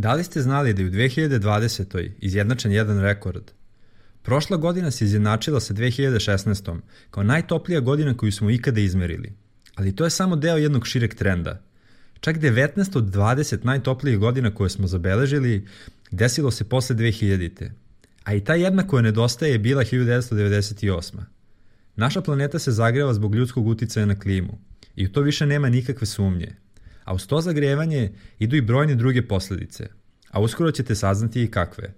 Da li ste znali da je u 2020. izjednačen jedan rekord? Prošla godina se izjednačila sa 2016. kao najtoplija godina koju smo ikada izmerili. Ali to je samo deo jednog šireg trenda. Čak 19 od 20 najtoplijih godina koje smo zabeležili desilo se posle 2000. A i ta jedna koja nedostaje je bila 1998. Naša planeta se zagreva zbog ljudskog uticaja na klimu i u to više nema nikakve sumnje. A uz to zagrevanje idu i brojne druge posledice, a uskoro ćete saznati i kakve.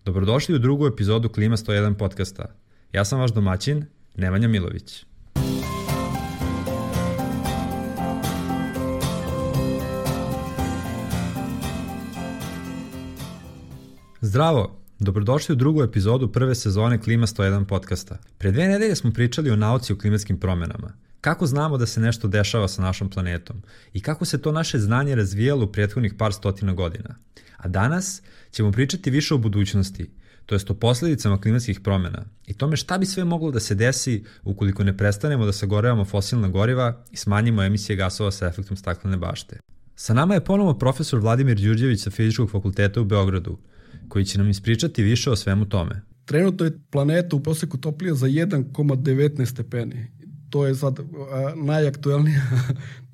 Dobrodošli u drugu epizodu Klima 101 podcasta. Ja sam vaš domaćin, Nemanja Milović. Zdravo! Dobrodošli u drugu epizodu prve sezone Klima 101 podcasta. Pre 2 nedelje smo pričali o nauci o klimatskim promenama. Kako znamo da se nešto dešava sa našom planetom i kako se to naše znanje razvijalo u prethodnih par stotina godina. A danas ćemo pričati više o budućnosti, to jest o posledicama klimatskih promena i tome šta bi sve moglo da se desi ukoliko ne prestanemo da sagorevamo fosilna goriva i smanjimo emisije gasova sa efektom staklene bašte. Sa nama je ponovo profesor Vladimir Đurđević sa Fizičkog fakulteta u Beogradu, koji će nam ispričati više o svemu tome. Trenutno je planeta u proseku toplija za 1,19 stepeni. To je sad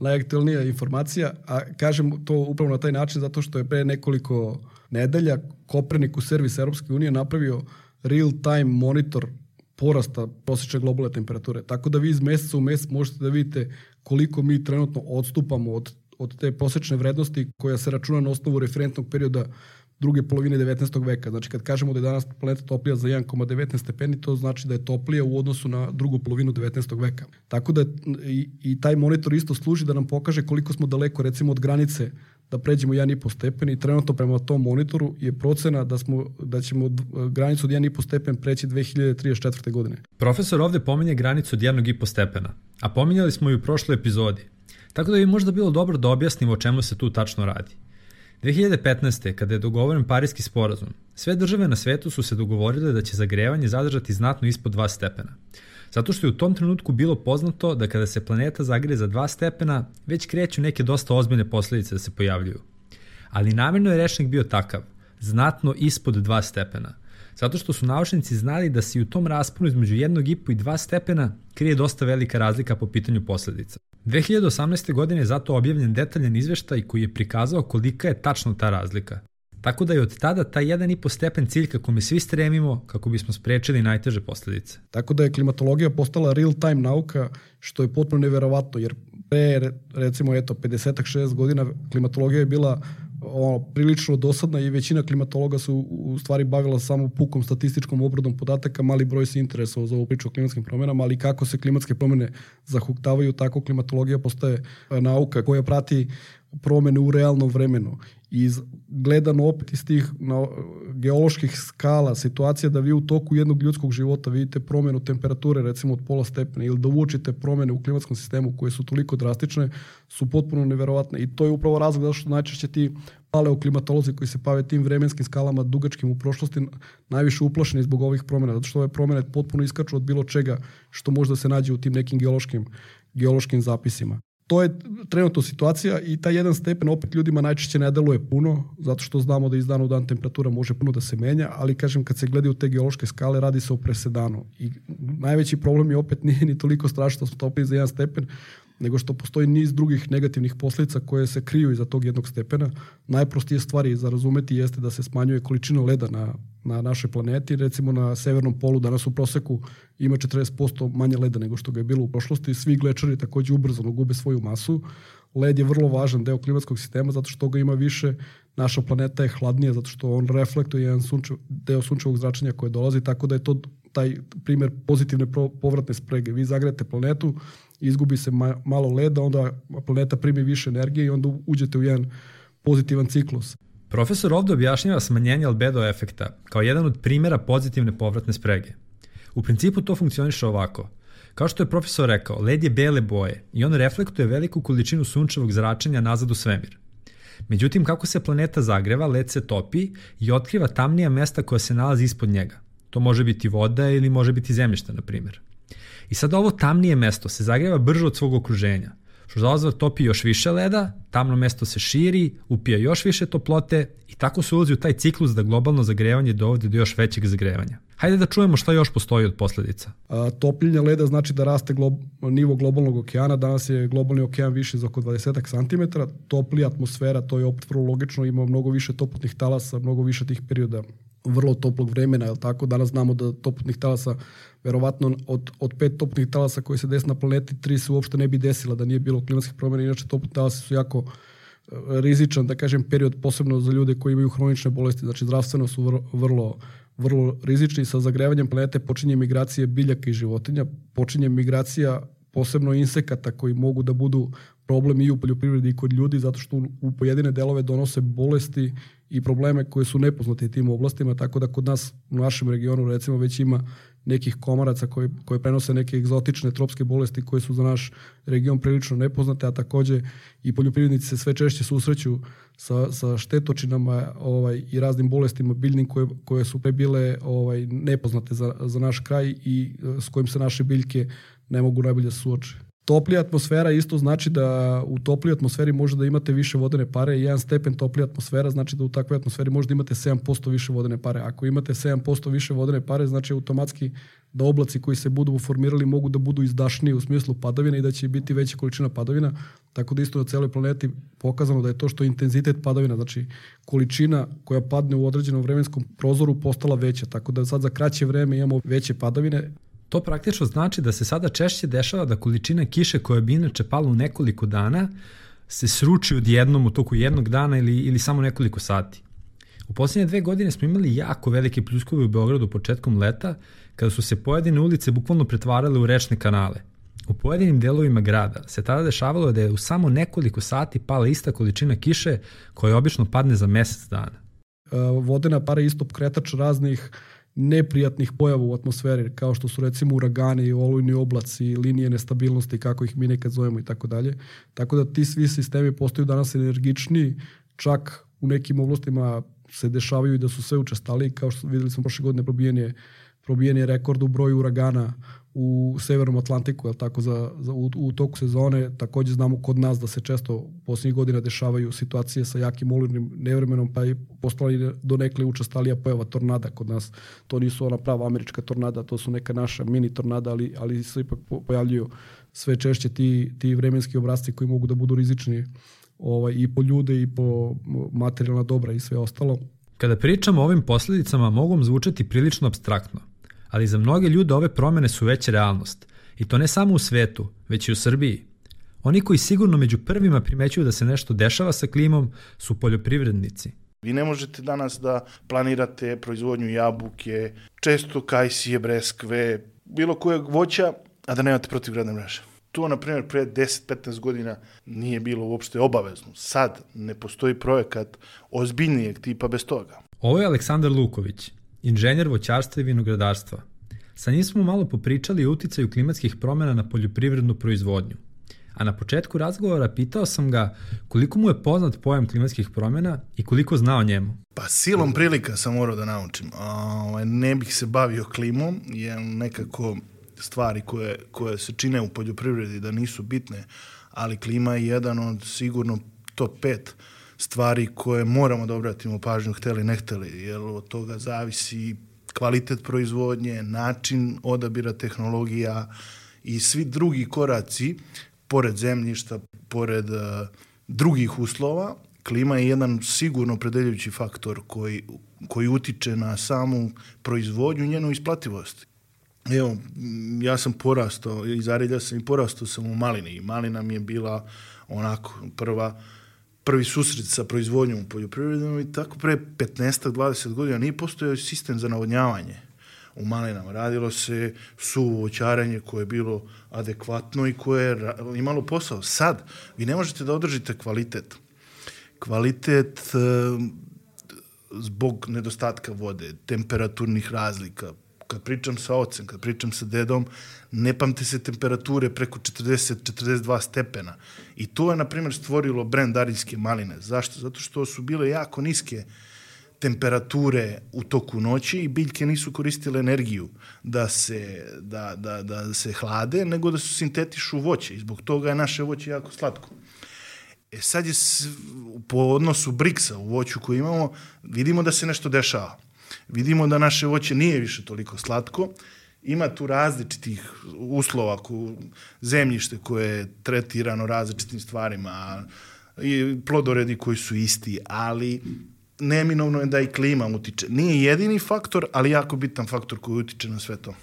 najaktuelnija informacija, a kažem to upravo na taj način zato što je pre nekoliko nedelja Copernicus servis Europske unije napravio real-time monitor porasta prosječne globalne temperature. Tako da vi iz meseca u mesec možete da vidite koliko mi trenutno odstupamo od te prosječne vrednosti koja se računa na osnovu referentnog perioda druge polovine 19. veka. Znači kad kažemo da je danas planeta toplija za 1,19 stepeni, to znači da je toplija u odnosu na drugu polovinu 19. veka. Tako da i taj monitor isto služi da nam pokaže koliko smo daleko recimo od granice da pređemo 1,5 stepen i trenutno prema tom monitoru je procena da ćemo granicu od 1,5 stepen preći 2034. godine. Profesor ovde pominje granicu od 1,5 stepena, a pominjali smo i u prošloj epizodi. Tako da bi možda bilo dobro da objasnimo o čemu se tu tačno radi. 2015. kada je dogovoren Pariski sporazum, sve države na svetu su se dogovorile da će zagrevanje zadržati znatno ispod 2 stepena. Zato što je u tom trenutku bilo poznato da kada se planeta zagreje za 2 stepena, već kreću neke dosta ozbiljne posledice da se pojavljuju. Ali namjerno je rečnik bio takav, znatno ispod 2 stepena. Zato što su naučnici znali da se u tom rasponu između 1,5 i 2 stepena krije dosta velika razlika po pitanju posledica. 2018. godine je zato objavljen detaljan izveštaj koji je prikazao kolika je tačno ta razlika. Tako da je od tada taj 1,5 stepen cilj kako mi svi stremimo kako bismo sprečili najteže posledice. Tako da je klimatologija postala real-time nauka, što je potpuno neverovatno, jer pre recimo 50-60 godina klimatologija je bila prilično dosadna i većina klimatologa su u stvari bavila samo pukom statističkom obradom podataka, mali broj se interesovao za ovu priču o klimatskim promjenama, ali kako se klimatske promjene zahuktavaju, tako klimatologija postaje nauka koja prati promjene u realnom vremenu. I gledano opet iz tih geoloških skala situacija da vi u toku jednog ljudskog života vidite promjenu temperature recimo od pola stepena ili da uočite promjene u klimatskom sistemu koje su toliko drastične su potpuno neverovatne. I to je upravo razlog zato što najčešće ti paleoklimatolozi koji se bave tim vremenskim skalama dugačkim u prošlosti najviše uplašeni zbog ovih promjena, zato što ove promjene potpuno iskaču od bilo čega što možda se nađe u tim nekim geološkim zapisima. To je trenutno situacija i taj 1 stepen opet ljudima najčešće ne deluje puno, zato što znamo da iz dana u dan temperatura može puno da se menja, ali kažem kad se gledaju te geološke skale radi se o presedanu. I najveći problem je opet nije ni toliko strašno što smo topili za 1 stepen, nego što postoji niz drugih negativnih posljedica koje se kriju iza tog 1 stepena. Najprostije stvari za razumeti jeste da se smanjuje količina leda na našoj planeti. Recimo na severnom polu danas u proseku ima 40% manje leda nego što ga je bilo u prošlosti. Svi glečeri također ubrzano gube svoju masu. Led je vrlo važan deo klimatskog sistema zato što ga ima više. Naša planeta je hladnija zato što on reflektuje jedan deo sunčevog zračenja koje dolazi, tako da je to taj primjer pozitivne povratne sprege. Vi zagrejete planetu, izgubi se malo leda, onda planeta primi više energije i onda uđete u jedan pozitivan ciklus. Profesor ovdje objašnjava smanjenje albedo efekta kao jedan od primjera pozitivne povratne sprege. U principu to funkcioniše ovako. Kao što je profesor rekao, led je bele boje i on reflektuje veliku količinu sunčevog zračenja nazad u svemir. Međutim, kako se planeta zagreva, led se topi i otkriva tamnija mesta koja se nalazi ispod njega. To može biti voda ili može biti zemljište, na primjer. I sad ovo tamnije mesto se zagreva brže od svog okruženja. što za odvrat topi još više leda, tamno mesto se širi, upija još više toplote i tako se ulazi u taj ciklus da globalno zagrevanje dovodi do još većeg zagrevanja. Hajde da čujemo šta još postoji od posledica. Topljenje leda znači da raste nivo globalnog okeana. Danas je globalni okean viši za oko 20 cm. Toplija atmosfera, to je opet vrlo logično, ima mnogo više toplotnih talasa, mnogo više tih perioda vrlo toplog vremena, je li tako? Danas znamo da toplotnih talasa, verovatno od 5 toplotnih talasa koji se desi na planeti, 3 se uopšte ne bi desila da nije bilo klimatskih promjena. Inače, toplotni talasi su jako rizičan, da kažem, period, posebno za ljude koji imaju hronične bolesti, znači zdravstveno su vrlo rizični. Sa zagrevanjem planete počinje migracija biljaka i životinja, počinje migracija posebno insekata koji mogu da budu problem i u poljoprivredi i kod ljudi, zato što u pojedine delove donose bolesti i probleme koje su nepoznate tim oblastima, tako da kod nas u našem regionu recimo već ima nekih komaraca koje prenose neke egzotične tropske bolesti koje su za naš region prilično nepoznate, a takođe i poljoprivrednici se sve češće susreću sa štetočinama i raznim bolestima biljnim koje su pre bile nepoznate za naš kraj i s kojim se naše biljke ne mogu najbolje da suoče. Toplija atmosfera isto znači da u toplijoj atmosferi može da imate više vodene pare. 1 stepen toplija atmosfera znači da u takvoj atmosferi možda imate 7% više vodene pare. Ako imate 7% više vodene pare, znači automatski da oblaci koji se budu formirali mogu da budu izdašniji u smislu padavina i da će biti veća količina padavina. Tako da isto na celoj planeti pokazano da je to što intenzitet padavina, znači količina koja padne u određenom vremenskom prozoru postala veća. Tako da sad za kraće vreme imamo veće padavine. To praktično znači da se sada češće dešava da količina kiše koja bi inače pala u nekoliko dana se sruči odjednom u toku jednog dana ili samo nekoliko sati. U posljednje 2 godine smo imali jako velike pljuskove u Beogradu početkom leta, kada su se pojedine ulice bukvalno pretvarale u rečne kanale. U pojedinim delovima grada se tada dešavalo da je u samo nekoliko sati pala ista količina kiše koja obično padne za mesec dana. Vodena para je isto pokretač raznih neprijatnih pojava u atmosferi, kao što su recimo uragani, olujni oblaci, linije nestabilnosti, kako ih mi nekad zovemo i tako dalje. Tako da ti svi sistemi postaju danas energičniji, čak u nekim oblastima se dešavaju i da su sve učestaliji, kao što videli smo prošle godine probijen je rekord u broju uragana u Severnom Atlantiku, tako u toku sezone. Takođe znamo kod nas da se često posljednjih godina dešavaju situacije sa jakim olujnim nevremenom, pa je postala i donekle učestalija pojava tornada kod nas. To nisu ona prava američka tornada, to su neka naša mini tornada, ali se ipak pojavljuju sve češće ti vremenski obrazci koji mogu da budu rizični i po ljude i po materijalna dobra i sve ostalo. Kada pričamo o ovim posljedicama mogu zvučati prilično apstraktno, ali za mnoge ljude ove promene su već realnost. I to ne samo u svetu, već i u Srbiji. Oni koji sigurno među prvima primećuju da se nešto dešava sa klimom su poljoprivrednici. Vi ne možete danas da planirate proizvodnju jabuke, često kajsije, breskve, bilo kojeg voća, a da nemate protivgradne mreže. To, na primjer, pre 10-15 godina nije bilo uopšte obavezno. Sad ne postoji projekat ozbiljnijeg tipa bez toga. Ovo je Aleksandar Luković, inženjer voćarstva i vinogradarstva. Sa njim smo malo popričali o uticaju klimatskih promjena na poljoprivrednu proizvodnju. A na početku razgovora pitao sam ga koliko mu je poznat pojam klimatskih promjena i koliko zna o njemu. Pa silom prilika sam morao da naučim. Ne bih se bavio klimom, jer nekako stvari koje se čine u poljoprivredi da nisu bitne, ali klima je jedan od sigurno top 5 stvari koje moramo da obratimo pažnju, hteli ne hteli, jer od toga zavisi kvalitet proizvodnje, način odabira tehnologija i svi drugi koraci, pored zemljišta, pored drugih uslova. Klima je jedan sigurno opredeljujući faktor koji utiče na samu proizvodnju i njenu isplativost. Evo, ja sam porastao, iz Arilja sam i porastao sam u malini i malina mi je bila onako prvi susret sa proizvodnjom u poljoprivrednom i tako pre 15-20 godina nije postojao sistem za navodnjavanje u malinama. Radilo se suvo voćarenje koje je bilo adekvatno i koje je imalo posao. Sad, vi ne možete da održite kvalitet. Kvalitet zbog nedostatka vode, temperaturnih razlika. Kad pričam sa ocem, kad pričam sa dedom, ne pamte se temperature preko 40-42 stepena. I to je, na primjer, stvorilo brend ariljske maline. Zašto? Zato što su bile jako niske temperature u toku noći i biljke nisu koristile energiju da se hlade, nego da se sintetišu voće i zbog toga je naše voće jako slatko. Sad je po odnosu BRICS-a u voću koji imamo, vidimo da se nešto dešava. Vidimo da naše voće nije više toliko slatko, ima tu različitih uslova, zemljište koje je tretirano različitim stvarima, i plodoredi koji su isti, ali neminovno je da i klima utiče. Nije jedini faktor, ali jako bitan faktor koji utiče na sve to.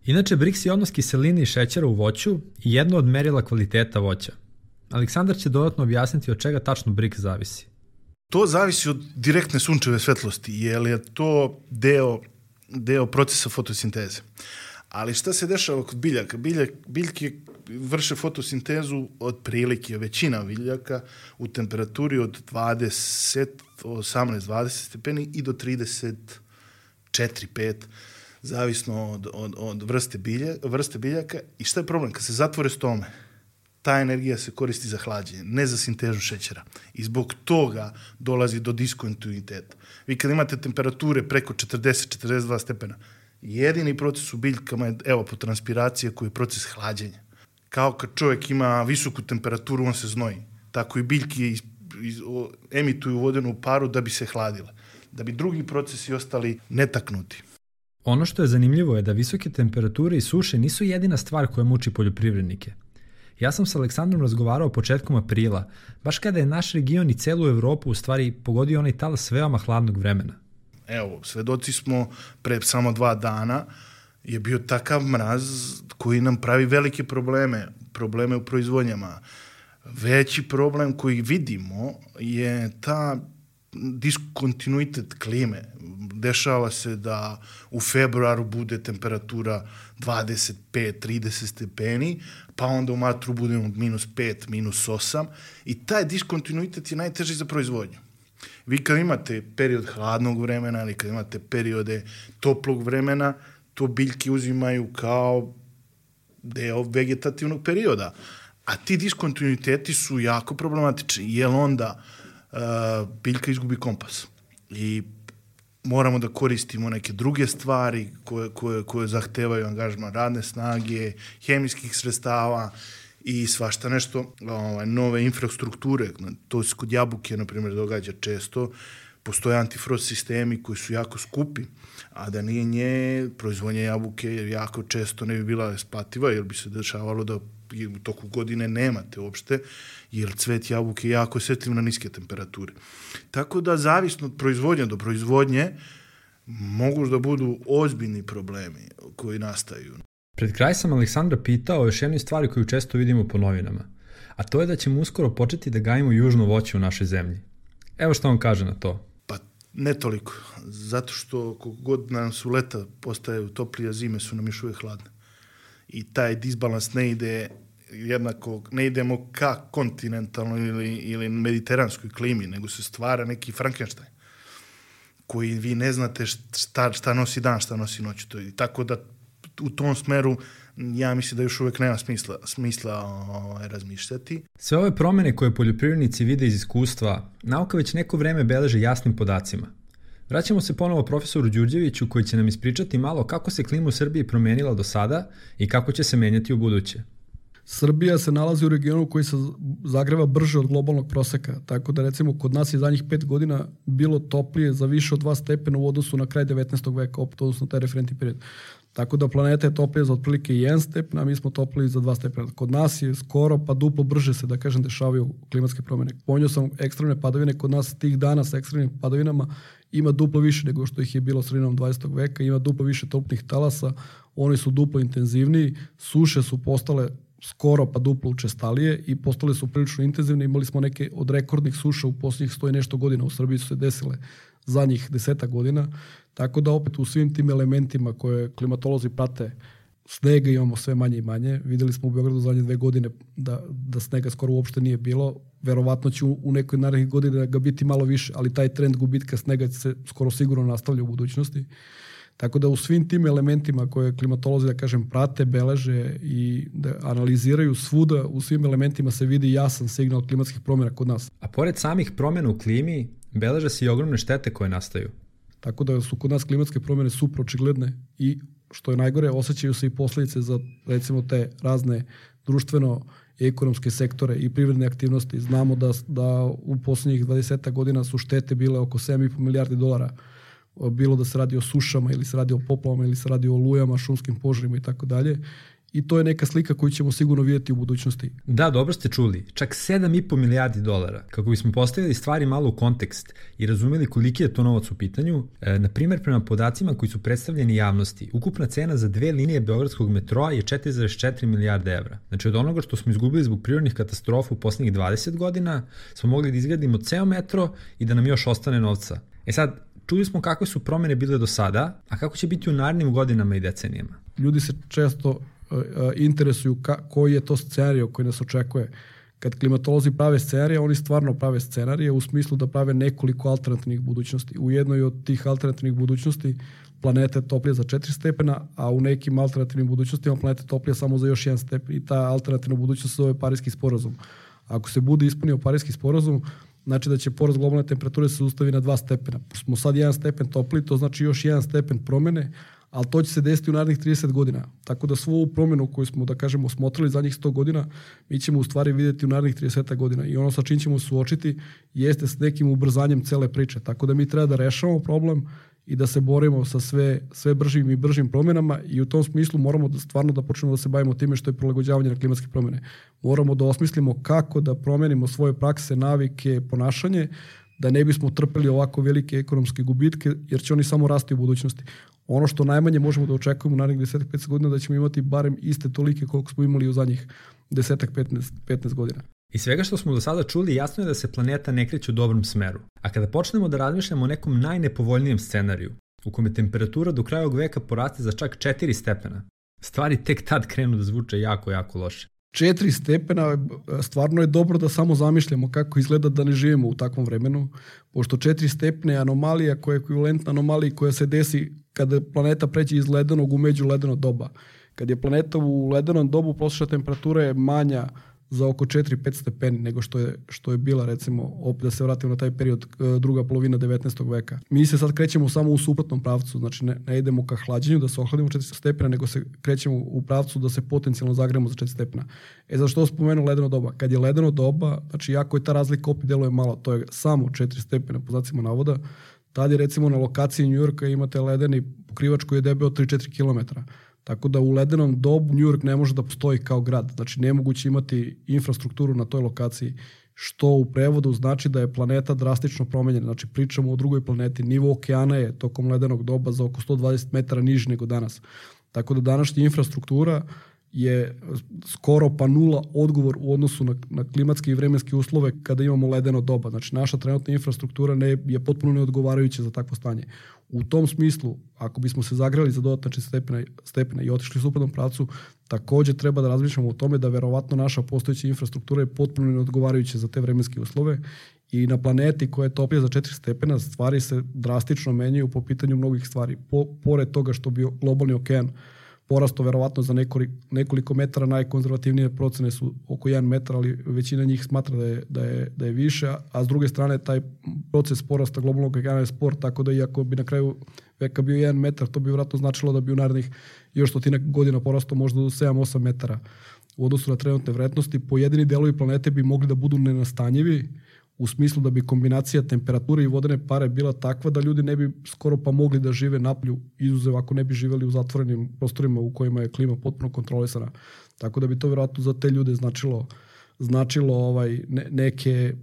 Inače, BRICS je odnos kiseline i šećera u voću i jedno od merila kvaliteta voća. Aleksandar će dodatno objasniti od čega tačno BRICS zavisi. To zavisi od direktne sunčeve svetlosti, jer je to deo procesa fotosinteze. Ali šta se dešava kod biljaka? Biljke vrše fotosintezu otprilike, većina biljaka u temperaturi od 18-20 stepeni i do 34-5, zavisno od vrste biljaka. I šta je problem? Kad se zatvore stome, ta energija se koristi za hlađenje, ne za sintezu šećera. I zbog toga dolazi do diskontinuiteta. Vi kad imate temperature preko 40-42 stepena, jedini proces u biljkama je, evo, po transpiraciji koji je proces hlađenja. Kao kad čovjek ima visoku temperaturu, on se znoji. Tako i biljke emituju vodenu paru da bi se hladile, da bi drugi procesi ostali netaknuti. Ono što je zanimljivo je da visoke temperature i suše nisu jedina stvar koja muči poljoprivrednike. Ja sam sa Aleksandrom razgovarao početkom aprila, baš kada je naš region i celu Evropu u stvari pogodio onaj talas veoma hladnog vremena. Evo, svedoci smo pre samo 2 dana je bio takav mraz koji nam pravi velike probleme u proizvodnjama. Veći problem koji vidimo je ta diskontinuitet klime. Dešava se da u februaru bude temperatura 25-30 stepeni, pa onda u martu budemo -5, -8 i taj diskontinuitet je najteži za proizvodnju. Vi kad imate period hladnog vremena ili kad imate periode toplog vremena, to biljke uzimaju kao deo vegetativnog perioda. A ti diskontinuiteti su jako problematični, jer onda biljka izgubi kompas. I moramo da koristimo neke druge stvari koje zahtevaju angažman radne snage, hemijskih sredstava i svašta nešto, nove infrastrukture. To se kod jabuke, na primjer, događa često. Postoje antifrost sistemi koji su jako skupi, a da nije nje, proizvodnja jabuke jako često ne bi bila isplativa, jer bi se dešavalo da u toku godine nemate uopšte, jer cvet jabuke je jako osjetljiv na niske temperature. Tako da, zavisno od proizvodnje do proizvodnje, mogu da budu ozbiljni problemi koji nastaju. Pred kraj sam Aleksandra pitao o još jednoj stvari koju često vidimo po novinama, a to je da ćemo uskoro početi da gajimo južno voće u našoj zemlji. Evo što on kaže na to. Pa ne toliko, zato što koliko god nam su leta postaju toplije, zime su nam još uvijek hladne. I taj disbalans ne ide jednako, ne idemo ka kontinentalnoj ili mediteranskoj klimi, nego se stvara neki Frankenstein koji vi ne znate šta nosi dan, šta nosi noć. Tako da u tom smeru ja mislim da još uvijek nema smisla razmišljati. Sve ove promene koje poljoprivrednici vide iz iskustva, nauka već neko vreme beleže jasnim podacima. Vraćamo se ponovo profesoru Đurđeviću koji će nam ispričati malo kako se klima u Srbiji promenila do sada i kako će se menjati u buduće. Srbija se nalazi u regionu koji se zagreva brže od globalnog proseka, tako da recimo kod nas je zadnjih 5 godina bilo toplije za više od 2 stepena u odnosu na kraj 19. veka, opet odnosno taj referentni period. Tako da planeta je toplija za otprilike 1 stepen, a mi smo topliji za 2 stepena. Kod nas je skoro pa duplo brže se, da kažem, dešavaju klimatske promjene. Pominjao sam ekstremne padavine, kod nas tih dana sa ekstremnim padavinama ima duplo više nego što ih je bilo sredinom 20. veka, ima duplo više toplih talasa, oni su duplo intenzivniji, suše su postale skoro pa duplo učestalije i postale su prilično intenzivne. Imali smo neke od rekordnih suša u posljednjih 100 i nešto godina. U Srbiji su se desile zadnjih 10 godina. Tako da opet u svim tim elementima koje klimatolozi prate, snega imamo sve manje i manje. Videli smo u Beogradu zadnje 2 godine da snega skoro uopšte nije bilo. Verovatno će u nekoj narednih godina ga biti malo više, ali taj trend gubitka snega se skoro sigurno nastavlja u budućnosti. Tako da u svim tim elementima koje klimatolozi, da kažem, prate, beleže i da analiziraju svuda, u svim elementima se vidi jasan signal klimatskih promjena kod nas. A pored samih promjena u klimi, beleže se i ogromne štete koje nastaju. Tako da su kod nas klimatske promjene super očigledne i što je najgore, osjećaju se i posljedice za recimo te razne društveno i ekonomske sektore i privredne aktivnosti. Znamo da u posljednjih 20 godina su štete bile oko 7,5 milijardi dolara. Bilo da se radi o sušama ili se radi o poplavama ili se radi o olujama, šumskim požarima i tako dalje. I to je neka slika koju ćemo sigurno vidjeti u budućnosti. Da, dobro ste čuli. Čak 7,5 milijardi dolara. Kako bismo postavili stvari malo u kontekst i razumeli koliki je to novac u pitanju, na primjer prema podacima koji su predstavljeni javnosti, ukupna cena za 2 linije beogradskog metroa je 4,4 milijarde evra. Znači od onoga što smo izgubili zbog prirodnih katastrofa u posljednjih 20 godina, smo mogli da izgradimo ceo metro i da nam još ostane novca. Sad, čuli smo kakve su promjene bile do sada, a kako će biti u narednim godinama i decenijama. Ljudi se često interesuju koji je to scenarij koji nas očekuje. Kad klimatolozi prave scenarije, oni stvarno prave scenarije u smislu da prave nekoliko alternativnih budućnosti. U jednoj od tih alternativnih budućnosti planeta je toplija za 4 stepena, a u nekim alternativnim budućnostima planeta je toplija samo za još 1 stepen. I ta alternativna budućnost se zove Pariski sporazum. Ako se bude ispunio Pariski sporazum, znači da će porast globalne temperature se zaustavi na 2 stepena. Smo sad 1 stepen topli, to znači još 1 stepen promjene, ali to će se desiti u narednih 30 godina. Tako da svu ovu promjenu koju smo, da kažemo, smotrili zadnjih 100 godina, mi ćemo u stvari vidjeti u narednih 30 godina. I ono sa čim ćemo suočiti jeste s nekim ubrzanjem cele priče. Tako da mi treba da rešavamo problem i da se borimo sa sve bržim i bržim promjenama i u tom smislu moramo stvarno da počnemo da se bavimo time što je prilagođavanje na klimatske promjene. Moramo da osmislimo kako da promenimo svoje prakse, navike, ponašanje, da ne bismo trpeli ovako velike ekonomske gubitke, jer će oni samo rasti u budućnosti. Ono što najmanje možemo da očekujemo u narednih 10-15 godina da ćemo imati barem iste tolike koliko smo imali u zadnjih 10-15 godina. Iz svega što smo do sada čuli, jasno je da se planeta ne kreće u dobrom smeru. A kada počnemo da razmišljamo o nekom najnepovoljnijem scenariju, u kome temperatura do kraja ovog veka poraste za čak 4 stepena, stvari tek tad krenu da zvuče jako, jako loše. 4 stepena, stvarno je dobro da samo zamišljamo kako izgleda da ne živimo u takvom vremenu, pošto 4 stepne je anomalija koja je ekvivalentna anomaliji koja se desi kada planeta pređe iz ledenog u međuledeno doba. Kad je planeta u ledenom dobu, prosječna temperatura je manja za oko 4-5 stepeni nego što je bila, recimo, opet da se vratimo na taj period, druga polovina 19. veka. Mi se sad krećemo samo u suprotnom pravcu, znači ne idemo ka hlađenju da se ohladimo 4 stepena, nego se krećemo u pravcu da se potencijalno zagrejemo za 4 stepena. Zašto spomenuo ledeno doba? Kad je ledeno doba, znači jako je ta razlika opet deluje malo, to je samo 4 stepena po znacima navoda, tad je recimo na lokaciji New Yorka imate ledeni pokrivač koji je debeo 3-4 km. Tako da u ledenom dobu New York ne može da postoji kao grad. Znači nemoguće imati infrastrukturu na toj lokaciji, što u prevodu znači da je planeta drastično promenjena. Znači pričamo o drugoj planeti. Nivo okeana je tokom ledenog doba za oko 120 metara niži nego danas. Tako da današnja infrastruktura je skoro pa nula odgovor u odnosu na klimatske i vremenske uslove kada imamo ledeno doba. Znači naša trenutna infrastruktura je potpuno neodgovarajuća za takvo stanje. U tom smislu, ako bismo se zagrali za dodatne 4 stepena i otišli u suprotnom pravcu, također treba da razmišljamo o tome da verovatno naša postojeća infrastruktura je potpuno neodgovarajuća za te vremenske uslove i na planeti koja je toplija za 4 stepena stvari se drastično menjaju po pitanju mnogih stvari. Pored toga što bi globalni okean porasto verovatno za nekoliko metara, najkonzervativnije procene su oko 1 metar, ali većina njih smatra da je više, a s druge strane taj proces porasta globalnog okeana je spor, tako da iako bi na kraju veka bio 1 metar, to bi vjerojatno značilo da bi u narednih još 100 godina porastao možda do 7-8 metara u odnosu na trenutne vrednosti. Pojedini delovi planete bi mogli da budu nenastanjivi, u smislu da bi kombinacija temperature i vodene pare bila takva da ljudi ne bi skoro pa mogli da žive napolju, izuzev ako ne bi živjeli u zatvorenim prostorima u kojima je klima potpuno kontrolisana. Tako da bi to vjerojatno za te ljude značilo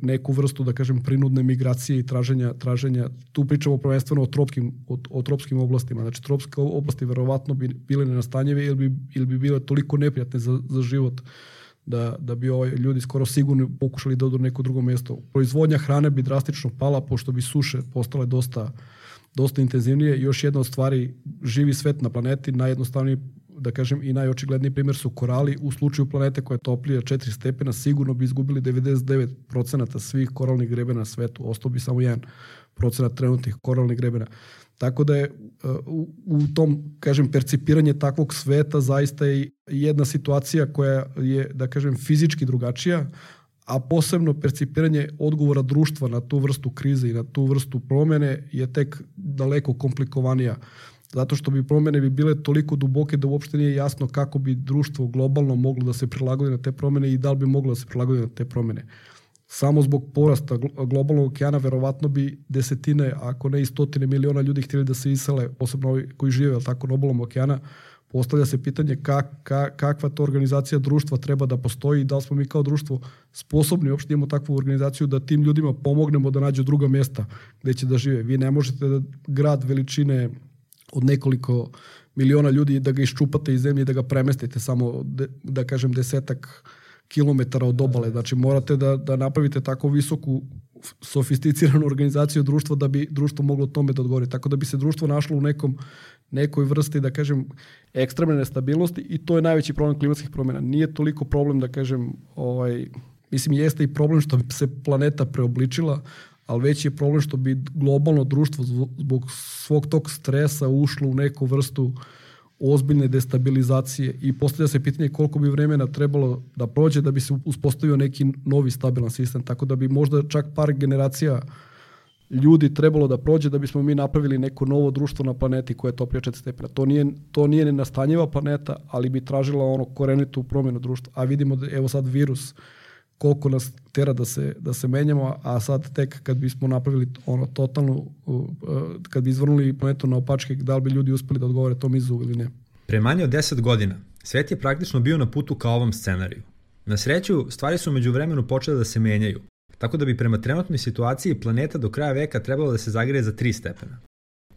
neku vrstu, da kažem, prinudne migracije i traženja. Tu pričamo prvenstveno o tropskim oblastima. Znači, tropske oblasti verovatno bi bile nenastanjive ili bi bile toliko neprijatne za život da bi ljudi skoro sigurno pokušali da odu na neko drugo mjesto. Proizvodnja hrane bi drastično pala, pošto bi suše postale dosta intenzivnije. Još jedna od stvari, živi svet na planeti, najjednostavniji, da kažem, i najočigledniji primjer su korali. U slučaju planete koja je toplija 4 stepena, sigurno bi izgubili 99% svih koralnih grebena na svetu. Ostao bi samo 1% trenutnih koralnih grebena. Tako da je u tom, kažem, percipiranje takvog sveta zaista je jedna situacija koja je, da kažem, fizički drugačija, a posebno percipiranje odgovora društva na tu vrstu krize i na tu vrstu promene je tek daleko komplikovanija. Zato što bi promene bile toliko duboke da uopšte nije jasno kako bi društvo globalno moglo da se prilagodi na te promene i da li bi moglo da se prilagodi na te promene. Samo zbog porasta globalnog okeana verovatno bi desetine, ako ne i stotine miliona ljudi htjeli da se isele, posebno ovi koji žive tako na obalom okeana. Postavlja se pitanje kakva to organizacija društva treba da postoji i da li smo mi kao društvo sposobni uopšte imamo takvu organizaciju da tim ljudima pomognemo da nađu druga mjesta gdje će da žive. Vi ne možete da grad veličine od nekoliko miliona ljudi da ga iščupate iz zemlje i da ga premestite samo, da kažem, 10 kilometara od obale. Znači morate da napravite tako visoku sofisticiranu organizaciju društva da bi društvo moglo tome da odgovori. Tako da bi se društvo našlo u nekoj vrsti, da kažem, ekstremne nestabilnosti i to je najveći problem klimatskih promjena. Nije toliko problem, da kažem, mislim jeste i problem što bi se planeta preobličila, ali veći je problem što bi globalno društvo zbog svog tog stresa ušlo u neku vrstu ozbiljne destabilizacije i postavlja se pitanje koliko bi vremena trebalo da prođe da bi se uspostavio neki novi stabilan sistem. Tako da bi možda čak par generacija ljudi trebalo da prođe da bismo mi napravili neko novo društvo na planeti koje je toplije 4 stepena. To nije nenastanjiva planeta, ali bi tražila korenitu promjenu društva. A vidimo da evo sad virus koliko nas tera da se menjamo, a sad tek kad bismo napravili totalnu, kad bi izvrnuli planetu na opačke, da li bi ljudi uspeli da odgovore tom izazovu ili ne. Pre manje od 10 godina svet je praktično bio na putu ka ovom scenariju. Na sreću, stvari su među vremenu počele da se menjaju, tako da bi prema trenutnoj situaciji planeta do kraja veka trebalo da se zagreje za 3 stepena.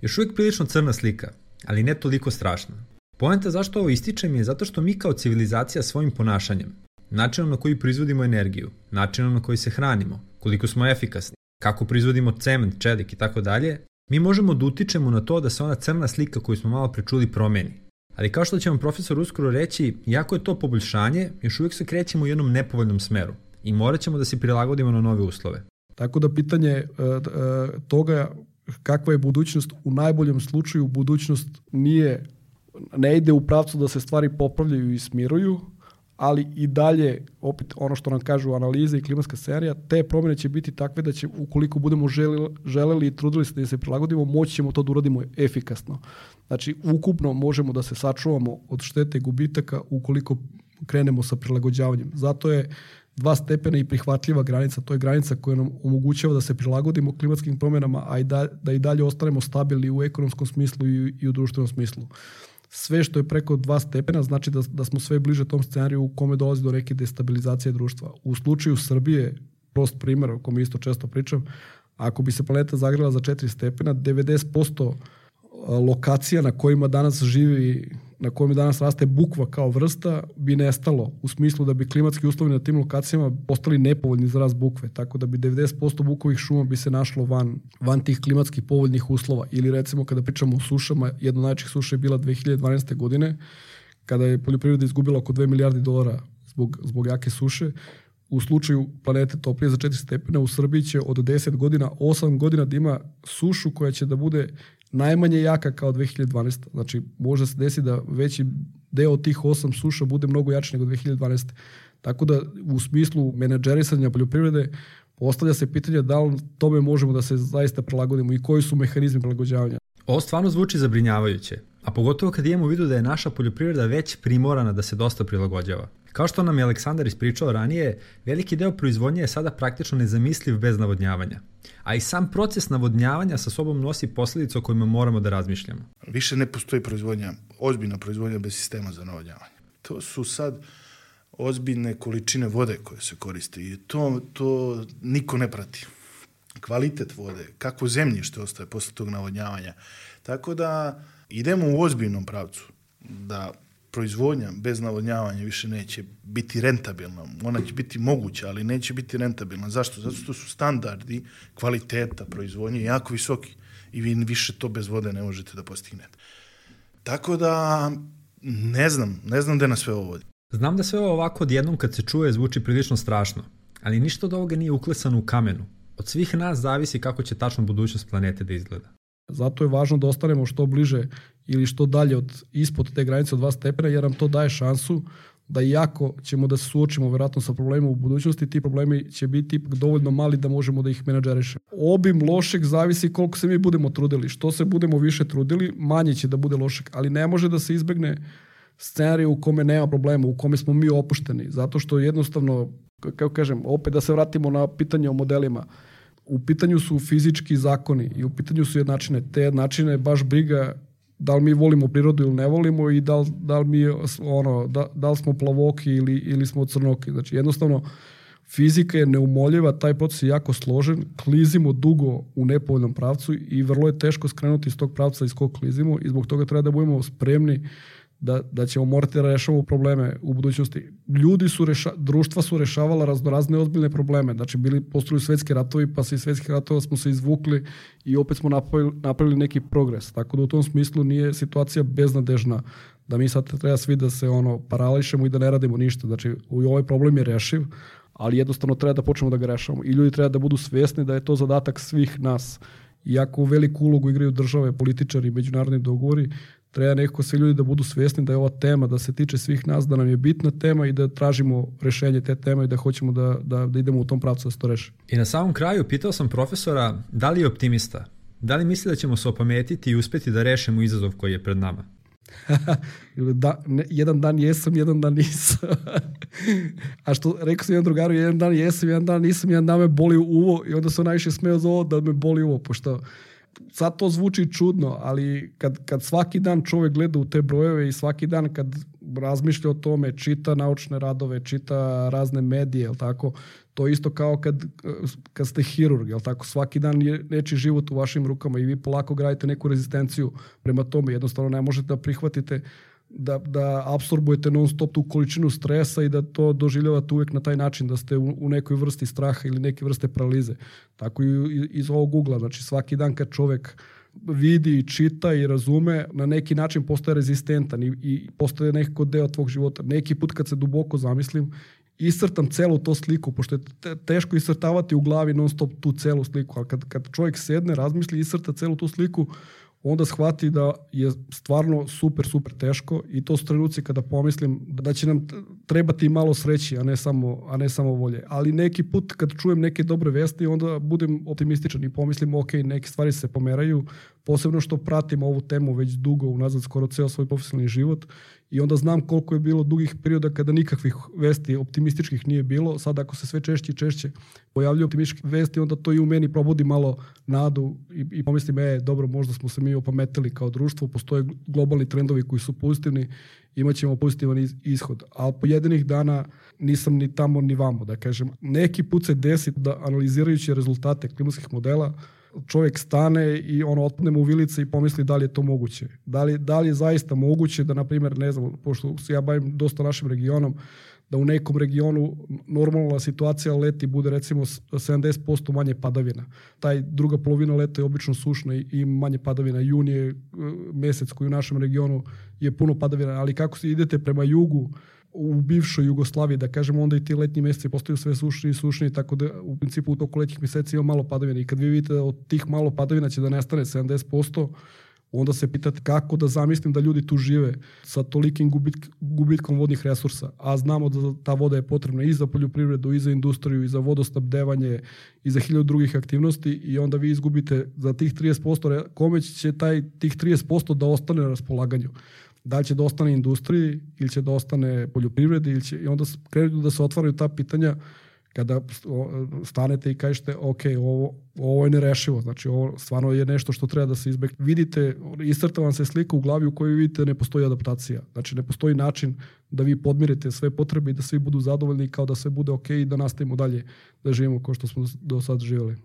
Još uvijek prilično crna slika, ali ne toliko strašna. Poenta zašto ovo ističem je zato što mi kao civilizacija svojim ponašanjem, načinom na koji proizvodimo energiju, načinom na koji se hranimo, koliko smo efikasni, kako proizvodimo cement, čelik i tako dalje, mi možemo da utičemo na to da se ona crna slika koju smo malo prečuli promeni. Ali kao što će vam profesor uskoro reći, iako je to poboljšanje, još uvijek se krećemo u jednom nepovoljnom smeru i morat ćemo da se prilagodimo na nove uslove. Tako da pitanje toga kakva je budućnost, u najboljem slučaju budućnost ne ide u pravcu da se stvari popravljaju i smiruju, ali i dalje, opet ono što nam kažu analize i klimatska serija, te promjene će biti takve da će, ukoliko budemo želeli i trudili se da se prilagodimo, moći ćemo to da uradimo efikasno. Znači, ukupno možemo da se sačuvamo od štete i gubitaka ukoliko krenemo sa prilagođavanjem. Zato je 2 stepena i prihvatljiva granica. To je granica koja nam omogućava da se prilagodimo klimatskim promjenama, a da i dalje ostanemo stabilni u ekonomskom smislu i u društvenom smislu. Sve što je preko 2 stepena znači da smo sve bliže tom scenariju u kome dolazi do neke destabilizacije društva. U slučaju Srbije, prost primjer o kome isto često pričam, ako bi se planeta zagrela za 4 stepena, 90% lokacija na kojima danas živi, na kojima danas raste bukva kao vrsta, bi nestalo u smislu da bi klimatski uslovi na tim lokacijama postali nepovoljni za rast bukve, tako da bi 90% bukovih šuma bi se našlo van tih klimatskih povoljnih uslova. Ili recimo kada pričamo o sušama, jedna od najvećih suša je bila 2012. godine, kada je poljoprivreda izgubila oko $2 milijardi zbog jake suše. U slučaju planete toplije za 4 stepena u Srbiji će od 10 godina, 8 godina da ima sušu koja će da bude najmanje jaka kao 2012. Znači, može se desiti da veći deo tih 8 suša bude mnogo jači nego 2012. Tako da, u smislu menadžerisanja poljoprivrede, postavlja se pitanje da li tome možemo da se zaista prilagodimo i koji su mehanizmi prilagođavanja. Ovo stvarno zvuči zabrinjavajuće, a pogotovo kad imamo u vidu da je naša poljoprivreda već primorana da se dosta prilagođava. Kao što nam je Aleksandar ispričao ranije, veliki deo proizvodnje je sada praktično nezamisliv bez navodnjavanja. A i sam proces navodnjavanja sa sobom nosi posljedice o kojima moramo da razmišljamo. Više ne postoji ozbiljna proizvodnja bez sistema za navodnjavanje. To su sad ozbiljne količine vode koje se koriste i to niko ne prati. Kvalitet vode, kakvo zemljište ostaje posle tog navodnjavanja. Tako da idemo u ozbiljnom pravcu da proizvodnja bez navodnjavanja više neće biti rentabilna. Ona će biti moguća, ali neće biti rentabilna. Zašto? Zato što su standardi kvaliteta proizvodnje jako visoki i vi više to bez vode ne možete da postignete. Tako da ne znam gde nas sve ovo vodi. Znam da sve ovo ovako odjednom kad se čuje zvuči prilično strašno, ali ništa od ovoga nije uklesano u kamenu. Od svih nas zavisi kako će tačno budućnost planete da izgleda. Zato je važno da ostanemo što bliže ili što dalje ispod te granice od 2 stepena, jer nam to daje šansu da iako ćemo da se suočimo vjerojatno sa problemima u budućnosti, ti problemi će biti ipak dovoljno mali da možemo da ih menadžerišemo. Obim lošeg zavisi koliko se mi budemo trudili. Što se budemo više trudili, manje će da bude lošeg, ali ne može da se izbegne scenarij u kome nema problema, u kome smo mi opušteni, zato što jednostavno, kako kažem, opet da se vratimo na pitanje o modelima, u pitanju su fizički zakoni i u pitanju su jednačine. Te jednačine baš briga da li mi volimo prirodu ili ne volimo i da li smo plavoki ili smo crnoki. Znači jednostavno fizika je neumoljiva, taj proces je jako složen, klizimo dugo u nepovoljnom pravcu i vrlo je teško skrenuti iz tog pravca iz kog klizimo i zbog toga treba da budemo spremni da ćemo morati da rešavamo probleme u budućnosti. Društva su rešavala raznorazne ozbiljne probleme. Znači, postoji svetski ratovi, pa se iz svetskih ratova smo se izvukli i opet smo napravili neki progres. Tako da u tom smislu nije situacija beznadežna da mi sad treba svi da se parališemo i da ne radimo ništa. Znači, ovaj problem je rešiv, ali jednostavno treba da počnemo da ga rešavamo. I ljudi treba da budu svesni da je to zadatak svih nas. Iako veliku ulogu igraju države, političari, međunarodni dogovori, treba nekako svi ljudi da budu svjesni da je ova tema, da se tiče svih nas, da nam je bitna tema i da tražimo rešenje te teme i da hoćemo da idemo u tom pravcu da se to reši. I na samom kraju pitao sam profesora da li je optimista, da li misli da ćemo se opametiti i uspjeti da rešimo izazov koji je pred nama? Jedan dan jesam, jedan dan nisam. A što rekao sam jedan drugaru, jedan dan jesam, jedan dan nisam, jedan dan me boli uvo i onda sam najviše smeo za ovo da me boli uvo, pošto sad to zvuči čudno, ali kad svaki dan čovjek gleda u te brojeve i svaki dan kad razmišlja o tome, čita naučne radove, čita razne medije, jel tako, to isto kao kad ste hirurg, jel tako, svaki dan je nečiji život u vašim rukama i vi polako gradite neku rezistenciju prema tome, jednostavno ne možete da prihvatite da apsorbujete non stop tu količinu stresa i da to doživljavate uvijek na taj način, da ste u nekoj vrsti straha ili neke vrste paralize. Tako i iz ovog ugla. Znači svaki dan kad čovjek vidi, čita i razume, na neki način postaje rezistentan i postaje nekako deo tvog života. Neki put kad se duboko zamislim, iscrtam celu to sliku, pošto je teško iscrtavati u glavi non stop tu celu sliku, ali kad čovjek sedne, razmisli i iscrta celu tu sliku, onda shvati da je stvarno super, super teško i to su trenuci kada pomislim da će nam trebati malo sreći, a ne samo volje. Ali neki put kad čujem neke dobre vesti, onda budem optimističan i pomislim ok, neke stvari se pomeraju, posebno što pratim ovu temu već dugo unazad, skoro ceo svoj profesionalni život i onda znam koliko je bilo dugih perioda kada nikakvih vesti optimističkih nije bilo. Sad ako se sve češće i češće pojavljaju optimističke vesti, onda to i u meni probudi malo nadu i pomislim, dobro, možda smo se mi opametili kao društvo, postoje globalni trendovi koji su pozitivni, imat ćemo pozitivan ishod. Ali pojedinih dana nisam ni tamo ni vamo, da kažem. Neki put se desi da analizirajući rezultate klimatskih modela, čovjek stane i otpadne mu u vilice i pomisli da li je to moguće. Da li je zaista moguće da, na primjer, ne znam, pošto se ja bavim dosta našim regionom, da u nekom regionu normalna situacija leti bude recimo 70% manje padavina. Taj druga polovina leta je obično sušna i manje padavina. Jun je mjesec koji u našem regionu je puno padavina, ali kako se idete prema jugu, u bivšoj Jugoslaviji, da kažemo, onda i ti letnji mjeseci postaju sve sušniji, tako da u principu u toku letnjih mjeseci ima malo padavina i kad vi vidite da od tih malo padavina će da nestane 70%, onda se pitate kako da zamislim da ljudi tu žive sa tolikim gubitkom vodnih resursa, a znamo da ta voda je potrebna i za poljoprivredu, i za industriju, i za vodosnabdevanje, i za 1000 drugih aktivnosti i onda vi izgubite za tih 30%, kome će tih 30% da ostane na raspolaganju. Da li će da ostane industriji ili će da ostane poljoprivredi i onda krenu da se otvaraju ta pitanja kada stanete i kažete ok, ovo je nerešivo, znači ovo stvarno je nešto što treba da se izbegne. Vidite, iscrta vam se slika u glavi u kojoj vidite ne postoji adaptacija, znači ne postoji način da vi podmirite sve potrebe i da svi budu zadovoljni kao da sve bude ok i da nastavimo dalje da živimo kao što smo do sad živjeli.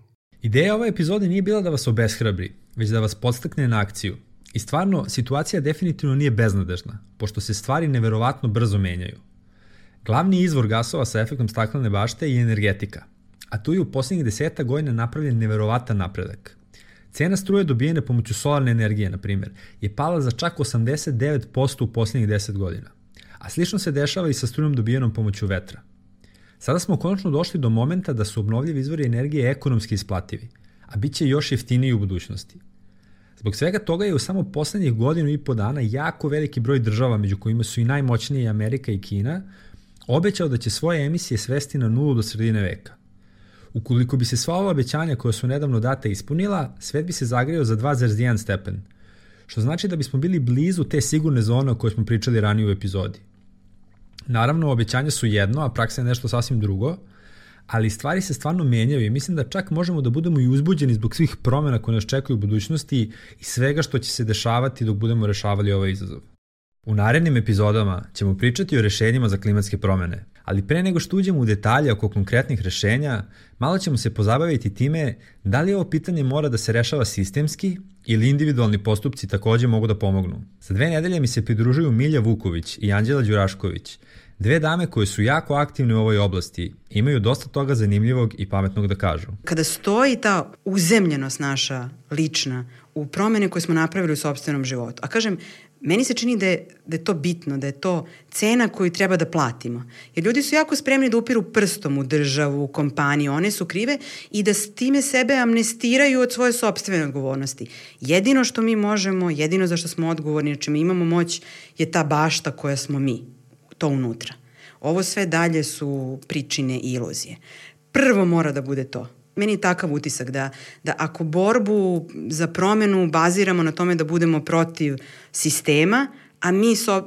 Ideja ove epizode nije bila da vas obeshrabri, već da vas podstakne na akciju. I stvarno, situacija definitivno nije beznadežna, pošto se stvari neverovatno brzo menjaju. Glavni izvor gasova sa efektom staklene bašte je energetika, a tu je u posljednjih 10 godina napravljen neverovatan napredak. Cena struje dobijene pomoću solarne energije, na primjer, je pala za čak 89% u posljednjih 10 godina, a slično se dešava i sa strujom dobijenom pomoću vetra. Sada smo konačno došli do momenta da su obnovljivi izvori energije ekonomski isplativi, a bit će još jeftiniji u budućnosti. Zbog svega toga je u samo poslednjih 1.5 dana jako veliki broj država, među kojima su i najmoćnije Amerika i Kina, obećao da će svoje emisije svesti na 0 do sredine veka. Ukoliko bi se sva ova obećanja koja su nedavno data ispunila, svet bi se zagreo za 2,1 stepen, što znači da bismo bili blizu te sigurne zone o kojoj smo pričali ranije u epizodi. Naravno, obećanja su jedno, a praksa je nešto sasvim drugo, ali stvari se stvarno menjaju i mislim da čak možemo da budemo i uzbuđeni zbog svih promjena koje nas čekaju u budućnosti i svega što će se dešavati dok budemo rešavali ovaj izazov. U narednim epizodama ćemo pričati o rešenjima za klimatske promjene, ali pre nego što uđemo u detalje oko konkretnih rešenja, malo ćemo se pozabaviti time da li ovo pitanje mora da se rešava sistemski ili individualni postupci takođe mogu da pomognu. Za 2 nedelje mi se pridružuju Milja Vuković i Anđela Đurašković, 2 dame koje su jako aktivne u ovoj oblasti, imaju dosta toga zanimljivog i pametnog da kažu. Kada stoji ta uzemljenost naša lična u promene koje smo napravili u sopstvenom životu, a kažem, meni se čini da je to bitno, da je to cena koju treba da platimo. Jer ljudi su jako spremni da upiru prstom u državu, u kompaniju, one su krive i da s time sebe amnestiraju od svoje sopstvene odgovornosti. Jedino što mi možemo, jedino za što smo odgovorni, na čime imamo moć, je ta bašta koja smo mi, to unutra. Ovo sve dalje su pričine i iluzije. Prvo mora da bude to. Meni je takav utisak da ako borbu za promenu baziramo na tome da budemo protiv sistema, a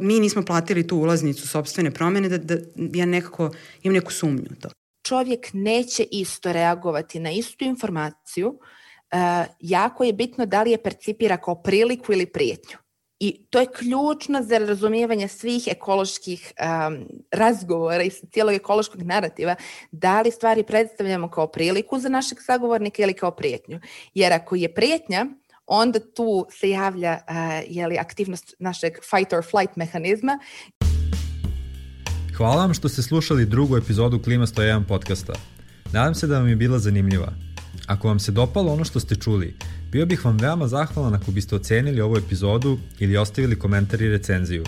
mi nismo platili tu ulaznicu sopstvene promene, da ja nekako imam neku sumnju u to. Čovjek neće isto reagovati na istu informaciju. Jako je bitno da li je percipira kao priliku ili prijetnju. I to je ključno za razumijevanje svih ekoloških razgovora i cijelog ekološkog narativa, da li stvari predstavljamo kao priliku za našeg sagovornika ili kao prijetnju. Jer ako je prijetnja, onda tu se javlja aktivnost našeg fight or flight mehanizma. Hvala vam što ste slušali drugu epizodu Klima 101 podcasta. Nadam se da vam je bila zanimljiva. Ako vam se dopalo ono što ste čuli, bio bih vam veoma zahvalan ako biste ocenili ovu epizodu ili ostavili komentar i recenziju.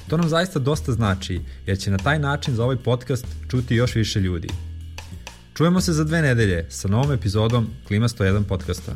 To nam zaista dosta znači, jer će na taj način za ovaj podcast čuti još više ljudi. Čujemo se za 2 nedelje sa novom epizodom Klima 101 podcasta.